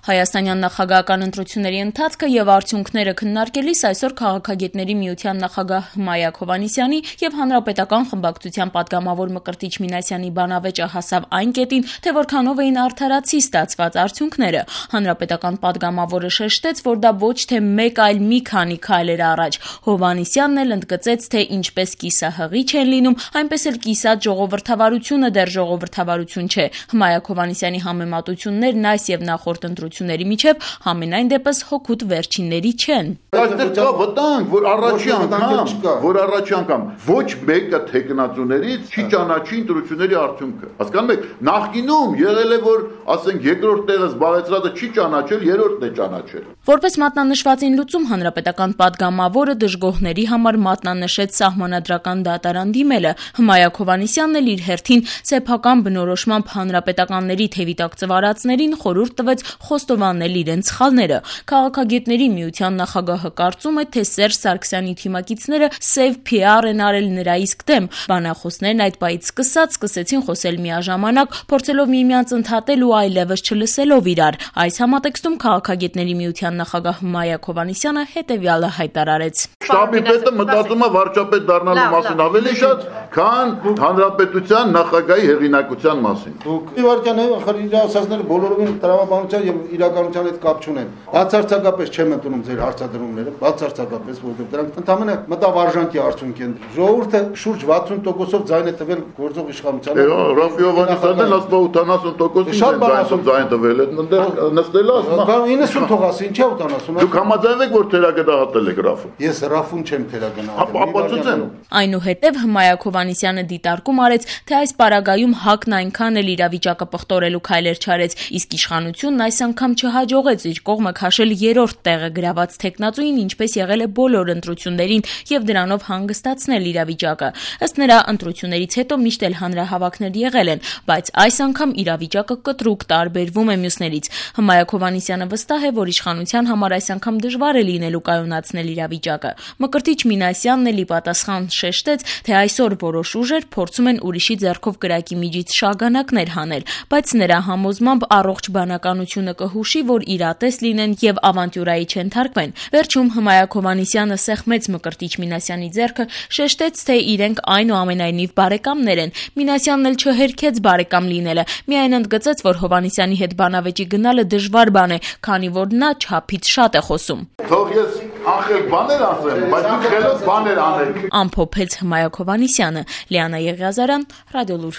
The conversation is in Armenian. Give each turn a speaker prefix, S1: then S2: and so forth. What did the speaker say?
S1: Հայաստանյան նախագահական ընտրությունների ընթացքը եւ արդյունքները քննարկելիս այսօր Քաղաքագետների միության նախագահ Հմայակ Հովհաննիսյանի եւ Հանրապետական խմբակցության падգամավոր Մկրտիչ Մինասյանի բանավեճը հասավ այն կետին, թե որքանով էին արդարացի ստացված արդյունքները։ Հանրապետական падգամավորը շեշտեց, որ դա ոչ թե մեկ, այլ մի քանի քայլ էր առաջ։ Հովհաննիսյանն էլ ընդգծեց, թե ինչպես կիսահղիչ են լինում, այնպես էլ կիսատ ժողովրդավարությունը դեռ ժողովրդավարություն չէ։ Հմայակ Հովհաննիսյանի համեմատություններն այս եւ նախորդ ընտրությունների միջև համենայն դեպս հօգուտ վերջինների չեն։
S2: Այստեղ կա վտանգ, որ առաջի անգամ ոչ մեկը թեկնածուներից չի ճանաչի ընտրությունների արդյունքը։ Հասկանում եք, նախկինում եղել է, որ ասենք երկրորդ տեղը զբաղեցրածը չի ճանաչել, երրորդն է ճանաչել։
S1: Որպես մատնանշվածին լուծում Հանրապետական падգամավորը դժգոհների համար մատնանշեց սահմանադրական դատարան դիմելը։ Հմայակ Հովհաննիսյանն էլ իր հերթին սեփական բնորոշմամբ հանրապետականների թևի տակ ծվարածներին խորհուրդ տվեց խոստովանել իրենց սխալները։ Քաղաքագետների միության նախագահը կարծում է, թե Սերժ Սարգսյանի թիմակիցները սև PR են արել նրա իսկ դեմ։ Բանախոսներն այդ պահից սկսեցին խոսել միաժամանակ, փորձելով միմյանց ընդհատել ու այլևս չլսելով իրար։ Այս համատեքստում Քաղաքագետների միության նախագահ Հմայակ Հովհաննիսյանը հետևյալը հայտարարեց.
S2: Շտաբի պետը մտածում է վարչապետ դառնալու մասին ավելի շատ, քան հանրապետության նախագահի հեղինակության մասին։
S3: Դուք իվարկյան իր ասածները բոլորովին տրամաբանության եւ իրականության հետ կապ չունեն։ Բացարձակապես չեմ ընդունում ձեր հարցադրումները, բացարձակապես, որովհետեւ դրանք ընդհանրապես մտավարժանքի արդյունք են։ Ժողովուրդը շուրջ 60%-ով ձայն է տվել գործող իշխանությանը։
S2: Ռաֆի Հովհաննիսյանն ասում 80%-ին ձայն տվել է, նստել է ասում։
S3: 90 թող ասի, ինչա 80։
S2: Դուք համաձայնեք, որ թերագնահատել եք Ռաֆը։
S3: Ես Ռաֆուն չեմ թերագնահատել։
S1: Այնուհետև Հմայակ Հովհաննիսյանը դիտարկում արեց, թե այս պարագայում ՀԱԿ-ն այնքան էլ իրավիճակը պղտորելու քայլեր չարեց, իսկ իշխանությունն այս անգամ չհաջողեց իր կողմը քաշել երրորդ տեղը գրաված թեկնածուին, ինչպես եղել է բոլոր ընտրություններին, եւ դրանով հանգստացնել իրավիճակը։ Ըստ նրա, ընտրություններից հետո միշտ էլ հանրահավաքներ եղել են, բայց այս անգամ իրավիճակը կտրուկ տարբերվում է մյուսներից։ Հմայակ Հովհաննիսյանը վստահ է, որ իշխանության համար այս անգամ դժվար է լինելու կայունացնել իրավիճակը։ Մկրտիչ Մինասյանն էլ ի պատասխան շեշտեց, թե այսօր որոշ ուժեր փորձում են ուրիշի ձեռքով կրակի միջից շագանակներ հանել, բայց նրա համոզմամբ առողջ բանականությունը կհուշի, որ իրատես լինեն եւ ավանտյուրայի չենթարկվեն։ Վերջում Հմայակ Հովհաննիսյանը սեղմեց Մկրտիչ Մինասյանի ձեռքը, շեշտեց, թե իրենք այնուամենայնիվ բարեկամներ են։ Մինասյանն էլ չհերքեց բարեկամ լինելը, միայն ընդգծեց, որ Հովհաննիսյանի հետ բանավեճի գնալը դժվար բան է, քանի որ նա չափից շատ է խոսում։
S2: Թող ես ախել բաներ ասեմ, բայց դուք խելոք բաներ անեք։
S1: Ամփոփեց Հմայակ Հովհաննիսյանը։ Լիանա Եղիազարյան, Ռադիոլուր։